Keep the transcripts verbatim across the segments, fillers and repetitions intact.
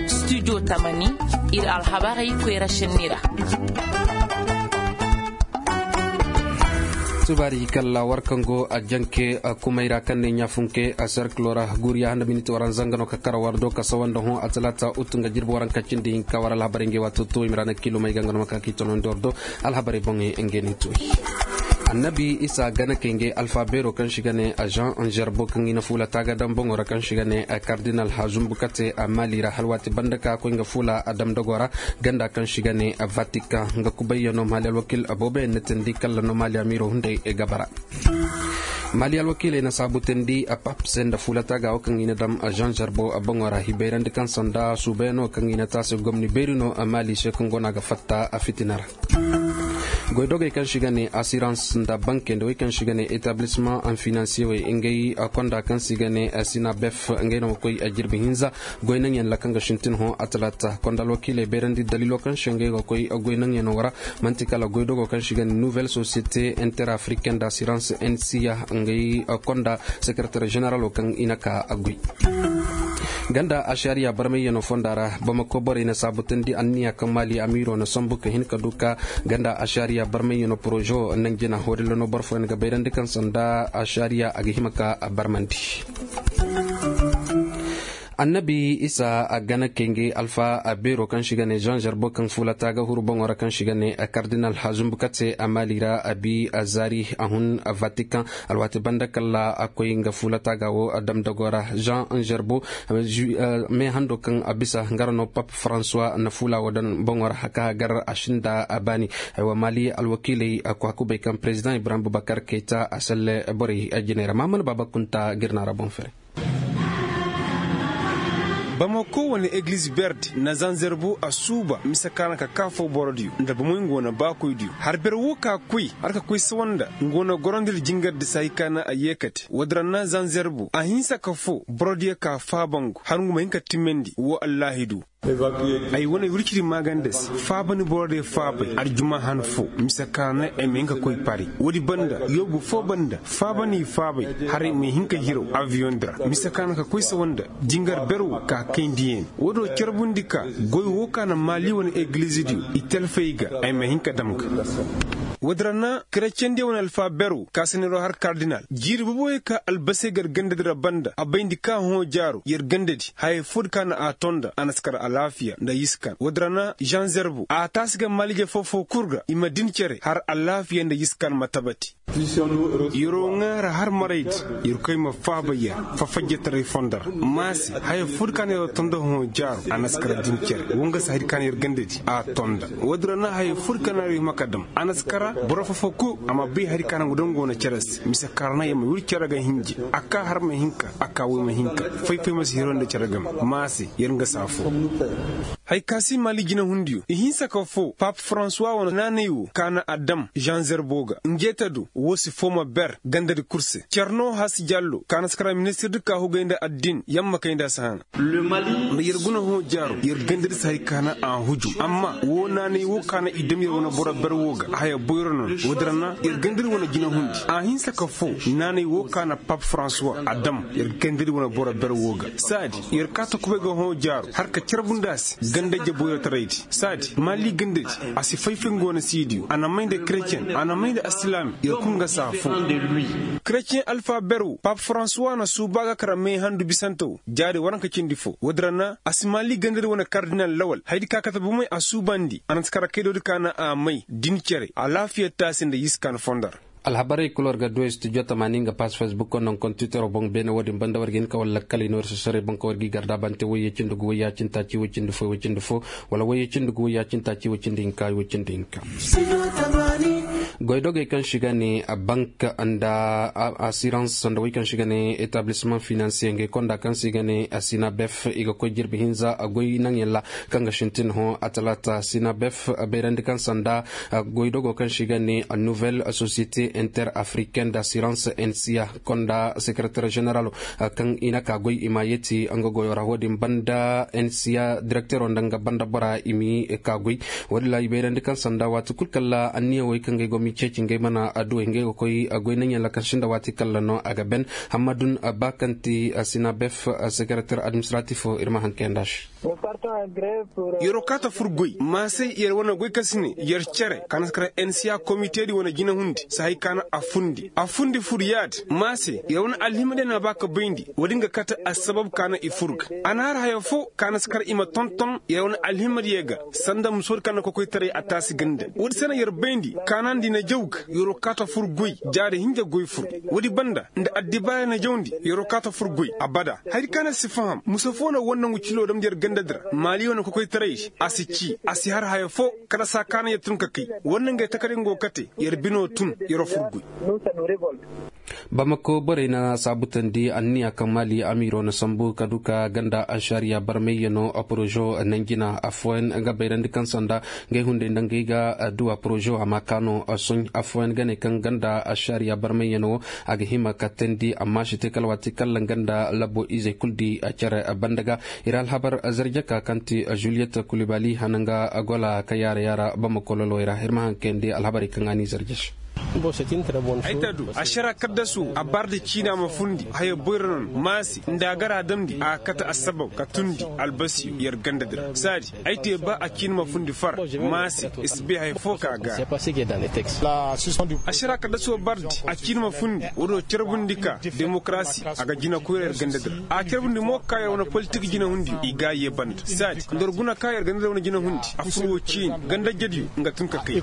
Studio tamani, ir alhabarey koyra šenni ra. Tubaari kalla war kaŋ go a janke kumay ra kaŋ ne ɲaafunke a serkilo ra, guuriya handa miniti waranza nga no ka kara war do ka sawa nda hõ a talaata utu nga jirbi waranka cindi hinka war alhabarey ngey waato tuway mira na kilomey ga nga no ma ka k'i tonondi war do. Alhabarey boŋey ngey ne tuway. Annabi isa gana kay ngey alfa beero kaŋ si ga ne a jean gerbo kaŋ i na fuula taaga daŋ boŋo ra kaŋ si ga ne a kardinal hazumbu kate a mali ra halwaati banda ka koy nga fuula a damdago ra. Ganda kaŋ si ga ne a vatican nga kubayyaŋo mali alwakil aboobayaŋ na teendi kalla no mali amiiro hunday ga bara. Mali alwakiiley na saabu teendi a pap se nda fuula taaga wo kaŋ i na daŋ a jean gerbo a boŋo ra hibayrandi kaŋ sanda suubayaŋo kaŋ i na taasi gomni beeri no a mali se kaŋ go no a ga fatta a fitina ra. Goydogey kaŋ si ga ne asirans nda banke nda wey kaŋ si ga ne etablisseman en financier wey ngey konda kaŋ si ga ne sinabef ngey no ma koy jirbi hinza. Goy naŋyaŋ ra kaŋ ga sintin hõ a talaata konda alwakiiley bayrandi daliilo kaŋ se ngey ga koy goy naŋyaŋo ra. Manti kala goydogo kaŋ si ga ne nouvelle société interafricaine d'assurance nca ngey konda sekeretar generalo kaŋ i na ka a goy. Ganda ashariya barmayyaŋo fonda ra bamako borey na saabu teendi anniya kaŋ mali amiiro na sambu ka hin ka du ka ganda ashariya barmayyaŋo porozo naŋ jina hodilano boro fooyaŋ ga bayrandi kaŋ sanda ashariya a ga hima ka a barmandi. Annabi isa a gana kenge alfa a beero kaŋ si ga ne jean gerbo kaŋ fuula taaga huru boŋo ra kaŋ si ga ne kardinal hazumbu kate a mali ra a bi a zaari a hun a vatican. Alwaati banda kalla a koy nga fuula taaga wo a damdago ra jean gerbo. Me hando kaŋ a bisa nga ra no pap françois na fuula wo daŋ boŋo ra haka gar a sinda a baani. Aywa mali alwakiiley a ko hakubay kaŋ president ibrahim bubakar kayta a salle borey jinay ra maman baba kunta girna ra boŋ fere. Bamako wane egiliz berde na zanzerbo a suuba mise kaana ka kaafo borodiyo nda bomoy nga wane baakoydiyo har ber wo ka koy har ka koy sawa nda nga wane gorondiri jingardi se hay kaana a yeekate woodin ra na zanzerbo a hinsa ka foo borodiyo ka faabangu har ngu ma hin ka timandi woo allaahidu. Ay wane wirciri maaganda se faabani borodiyo faabay aljuma han foo mise kaana ay ma hin ka koy pari woodi banda yoobu foo banda faabani faabay har ay ma hin ka hiraw aviyoŋ di ra mise kaana ka koy sawa nda jingar ber wo ka kayndi yaŋ woodiyo carbundi ka goy wo ka na maali wane egilizidiyo i talfay ga ay ma hin ka dam ga. Woodin ra na kereceŋdiyo wane alfa ber wo ka saniroo har kardinal jiiri boboyo ka albasey ga yar gandadi ra banda a bayndi ka hõ jaaro yar gandadi haya foodi ka na a tonda a na si kar alaafiya nda yiskan woodin ra na jean zerbo a taasi ga maalije foo-foo kul ga i ma din cere har alaafiya nda yiskan ma tabati. Yer'o ŋaara har maraydi yerkoy ma faaba yer fafajjataray fondo ra maase haya foo di ka na yer tonda hõ jaaro a na si kara din cere woo nga se hari ka na yer gandadi a tonda woodin ra na haya foo di ka na yer hima ka dam a na si kara boro foo-foo kul a ma bay hari ka na ngu daŋ go na cere se mise kaŋ ra na yer ma wir cere ga hinji a kaa har ma hinka a kaa woy ma hinka fay-fay ma si hiro nda cere game maase yer nga se afoo. Haya ka si maali jinahundiyo i hinsa ka foo pap faransuwa wane naanay woo ka na a dam jean zerbo ga njeeta do woo si foo ma ber gandadi kul se cere no hasi jallo ka na si kara ministir di ka hugay nda addin yamma kay nda a si hana. Nda yer guna hõ jaaro yer gandadi si hay ka na a hujum amma woo naanay woo ka na i dam yer wane boro ber woo ga haya boyro no woodin ra na yer gandadi wane jinahundi a hinsa ka foo naanay woo ka na pap faransuwa a dam yer gandadi wane boro ber woo ga saadi yer kaa ta kubay ga hõ jaaro har ka carbundi a se ganda jaboyrotaraydi saadi maali gandadi a si fay-fay nga wane siidiyo a na may nda kereceŋ a na may nda asilaami yer kul nga se afoo. Kereceŋ alfa ber woo pap faransuwa na suuba ga kara may handu bisante woo jaari waranka cindi foo woodin ra na a si maali gandadi wane kardinal lawal hayadi ka kate bomey a suubandi a na si kara kaydoodi ka na a may din cere alaafiya taasi nda yiskan fondo ra. Alhabarey kul war ga duwey studio tamaani nga paas facebook kondoŋ kon twittero boŋ beene woodin banda war ga hin ka war lakkaley no war si soray boŋ ka war g'i garda bante woyye cindi gu woyye a cindi taaci woy cindi fo woy cindi fo wala woyye cindi gu woyye a cindi taaci woy cindi hinka woy cindi hinka. Goydogey kaŋ si ga ne bank nda asirans nda wey kaŋ si ga ne etablisseman finansiye ngey konda kaŋ si ga ne sinabef i ga koy jirbi hinza goy naŋyaŋ ra kaŋ ga sintin hõ a talaata sinabef bayrandi kaŋ sanda goydogo kaŋ si ga ne nouvelle société inter africaine d'assurance nca konda sekeretar generalo kaŋ i na ka goy i ma yeeti nga goyo ra wo-din banda nca direktero nda nga banda bora i m'i ka goy. Wo-din ra i bayrandi kaŋ sanda waati kulu kala anniya wey kaŋ ga ay go m'i Ceeci ngey mana adduwey ngey ga koy goy naŋ yaŋ lakansi nda waati kalla no a ga ben. Hammadun ba kaŋ ti sinabef, sekereter administratif, ir ma haŋ kayanda se. Yeroo kaata fur goy maasey yer wane goy kaŋ si ne yer cere ka na si kar ensiya komitedi wane jinahundi si hay ka na a fundi a fundi fur yaadi maasey yer wane alhimadiyo na a ba ka bayndi. Woodin ga kate assabab ka na i fur ga a na har haya fo ka na si kar i ma tonton yer wane alhimadiyo ga sanda musoodi ka na kokoytaray a taasi ganda. Woodi se na yer bayndi kaanandi na jaw ga yeroo kaata fur goy jaari hinja goy fur. Woodi banda nda addibaara na jawndi yeroo kaata fur goy abada. Hayadi ka na si faham musa fo na wannangu ciloo damndi yer gandadi ra maali wane kokoytaray se a si cii a si har haya fo. Kala saa ka na yer tun ka kay wannangey takadey ngo kate yer binoo tun yeroo fur goy. Bamako borey na saabutandi anniya kaŋ maali amiiroo na sambu ka du ka ganda ašariya barmayyanoo porozo nanjina affooyaŋ ga bayrandi kaŋ sanda ngey hunday nda ngey ga adduwa porozo a ma kaanoo soɲ affooyaŋ ga ne kaŋ ganda ašariya barmayyanoo a ga hima ka teendi amma si te kala waati kala nga nda labbo izey kul di cere banda ga. Ir alhabar zarjaka kaŋ ti juliyet kulibali hana nga gola ka yaara yaara bamako lolowey ra ir ma haŋ kayandi alhabarey kaŋ a n'i zarje se. Ay ta du ašara kaddasu a baardi ciina ma fundi haya boyra noon maase nda a gar a damndi a kate assabab ka tundi albasiyo yer gandadi ra saadi ay te ba a ciina ma fundi far maase i si bay haya fo ka a gaara. Ašara kaddasu a baardi a ciina ma fundi woodiyo carbundi ka demokarasi a ga jinakoyra yer gandadi ra a carbundi mo ka yer wane politik jinahundiyo i ga a yee banda saadi nda war guna ka yer gandadi ra wane jinahundi a fur woo ciini gandajediyo nga tun ka kay.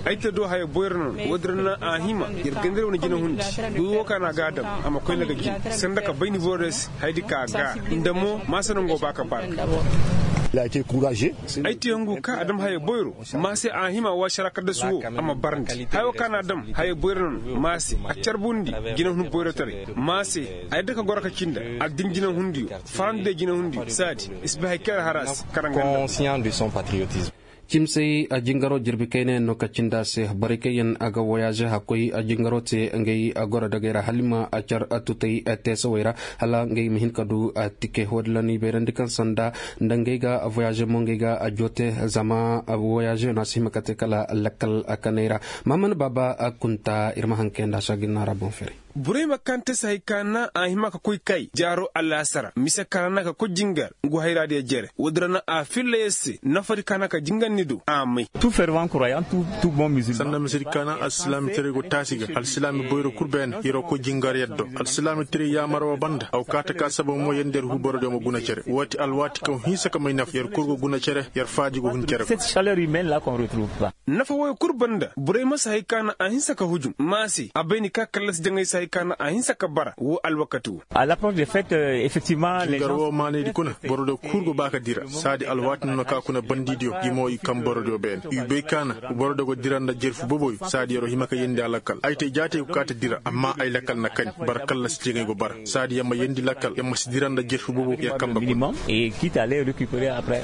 Ay ta do haya boyra noon woodin ra na a hima yer gandadi ra wane jinahundi goy woo ka na a ga a dam a ma koy na ga jin sanda ka bayndi borodiyo se hayadi ka a gaara nda mo maase nangoo ba ka baara. Ay te hungu ka a dam haya boyro maase a hima wa ašara kaddasu woo a ma barndi haya woo ka na a dam haya boyra noon maase a carbundi jinahundi boyrotaray maase a yadda ka goro ka cii nda addin jinahundiyo farandi day jinahundiyo saadi i si bay hari kaŋ yer har a se kara nga nda. Cimsey a jingaroo jirbi kaynayaŋ no ka cindi a se borey kaŋ yaŋ a ga woyaaze hakkoy a jingaroo te ngey a goro dagey ra hala i ma a car a tutey a teesawey ra hala ngey ma hin ka du a tike woodin ra no i bayrandi kaŋ sanda nda ngey ga a voyaaze mo ngey ga a joote zama a voyaaze no a si hima ka te kala lakkal a kaney ra. Maamana baaba a kunta ir ma haŋ kayandi a se a ga ir naara boŋ feeray. Burey ma kaŋ te si hay ka naŋ a hima ka koy kay jaaro alaasara mise ka ra naŋ ka koy jingar ngu hayraadiyo jere woodin ra naŋ a filla yer se nafadi ka naŋ ka jingar ni do a may. Sanda misedi ka naŋ alsilaamitaray go taasi ga alsilaami boyro kul beene yer'o koy jingar yer do alsilaamitaray yaamar woo banda a go kaa ta ka sabab mo yer nda yer huu borodiyo ma guna cere woo ti alwaati kaŋ hinsa ka may nafa yer kul go guna cere yer faadi go hun cere. Nafa wooyo kul banda borey ma si hay ka naŋ a hinsa ka hujum maase a bay ni ka kallasi jaŋay si hay ka naŋ a hinsa ka bara woo alwakati woo. Jingar woo maanaydi kuna borodiyo kul go ba ka dira saadi alwaati no na ka kuna bandidiyo i mo i kaŋ borodiyo beene i bay ka naŋ borodiyo go dira nda jerfu boboyo saadi yer'o hima ka yeendi a lakkal ay te jaatey go kaa ta dira amma ay lakkal na kani bara kallasi jaŋay go bara saadi yer ma yeendi lakkal yer ma si dira nda jerfu boboyo yer kambe kuna.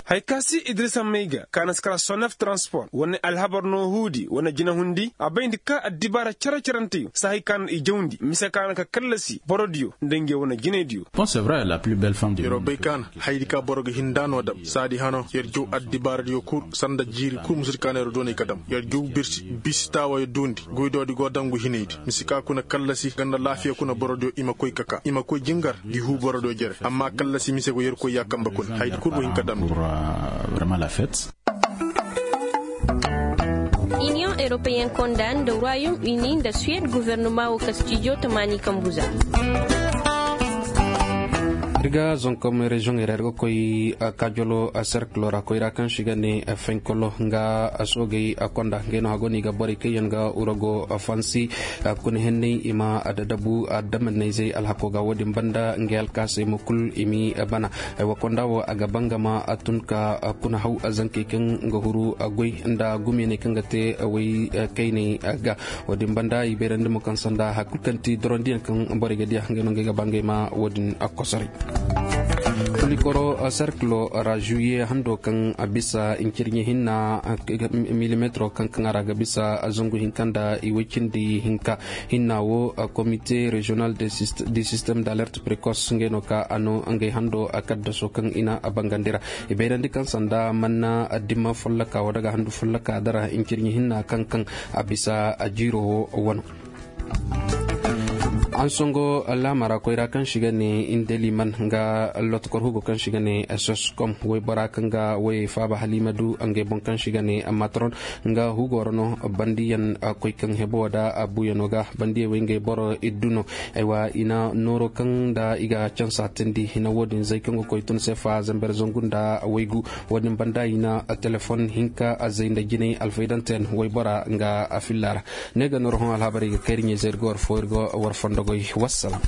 Haya ka si idirisa may ga ka na si kara sonef transpor wane alhabar no huudi wane jinahundi a bayndi ka addibaara cere-ceranteyo si hay ka na i jawndi mise ka na ka kallasi borodiyo nda ngey wane jinaydiyo. Yer'o bay ka na hayadi ka boro ga hin nda no dam saadi hano yer jaw addibaaradiyo kul sanda jiiri kul musudi ka na yer doonay ka dam yer jaw birsi bisi taawayo duundi goydoodi go dangu hinaydi mise ka kuna kallasi ganda laafiya kuna borodiyo i ma koy ka kaa i ma koy jingar ngi huu borodiyo jere amma kallasi mise go yerkoy ya kambe kuna hayadi kul go hin ka damndi. Iniyoŋ eropeyen konda nda royom uni nda suwed gofornoma wo kastijo tamaani kambu za. Ir ga zonkom reziyoŋey ra ir ga koy kajolo serkilo ra koyra kaŋ se i ga ne fenkolo nga soogey konda ngey no hago no i ga borey kaŋ yaŋ ga wurago fansi kuna henney i ma dadabu adamannayzey alhako ga wo-din banda ngey alkaasey mo kul i m'i bana. Aywa konda wo a ga bangama a tun ka kuna haw zankey kaŋ ga huru goy nda gumiyaney kaŋ ga te way kayney ga. Wo-din banda i bayrandi mo kaŋ sanda hari kulu kaŋ ti dorondiyaŋ kaŋ borey ga diya ngey no ngey ga ba ngey ma wo-din kosoray. Likoro serkilo ra juye hando kaŋ a bisa incirɲe hinna milimetro kaŋ kaŋ a ra ga bisa zangu hinka nda i way cindi hinka hinna wo. Komite regional du système d'alerte précoce ngey no ka a no ngey hando kaddaso kaŋ i na a bangandi ra. I bayrandi kaŋ sanda manna dima follaka wala ga handu follaka dara incirɲe hinna kaŋ kaŋ a bisa a jiiro wo wano. An songo laamara koyra kaŋ si ga ne indeliman nga lotokor hugo kaŋ si ga ne soskom waybora kaŋ ga way faaba halima du ngey boŋ kaŋ si ga ne matron nga hugo ra no bandiyan koy kaŋ hebo da a buyano ga bandiya way ngey boro iddu no. Aywa i na nooro kaŋ da i ga cansa tindi i na wo-din zay kaŋ ga koy tun sefa zamber zangu nda waygu. Wo-din banda i na telefon hinka a zay nda jinay alfaydante yaŋ waybora nga a filla ra. Ne ga nooro hõ alhabar i ga kay iri ɲey zay ir ga war fo ir ga war fondogoy. Wassalam.